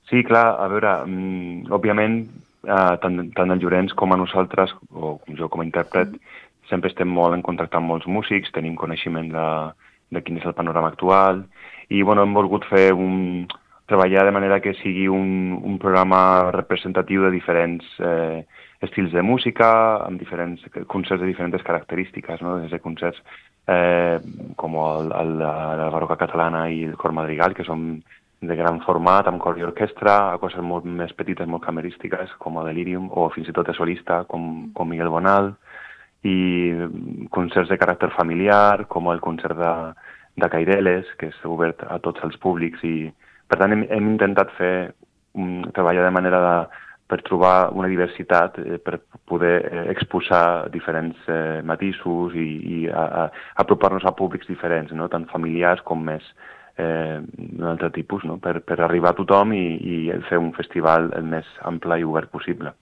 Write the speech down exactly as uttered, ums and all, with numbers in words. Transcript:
Sí, clar, a veure, mm, òbviament, eh, tant, tant el Llorenç com a nosaltres, o jo com a intèrpret, sempre estem molt en contacte amb molts músics, tenim coneixement de, de quin és el panorama actual, i bueno, hem volgut fer un, treballar de manera que sigui un, un programa representatiu de diferents eh, estils de música, amb diferents concerts de diferents característiques, no? Des de concerts eh, com el, el, la Barroca Catalana i el Cor Madrigal, que són de gran format, amb cor i orquestra, a coses molt més petites, molt camerístiques, com a Delirium, o fins i tot de solista, com, com Miguel Bonal, i concerts de caràcter familiar, com el concert de, de Caireles, que és obert a tots els públics, i per tant hem, hem intentat fer um, treballar de manera de, per trobar una diversitat, eh, per poder eh, exposar diferents eh, matisos i, i a, a, apropar-nos a públics diferents, no? Tant familiars com més eh, d'un altre tipus, no? per, per arribar a tothom i, i fer un festival el més ample i obert possible.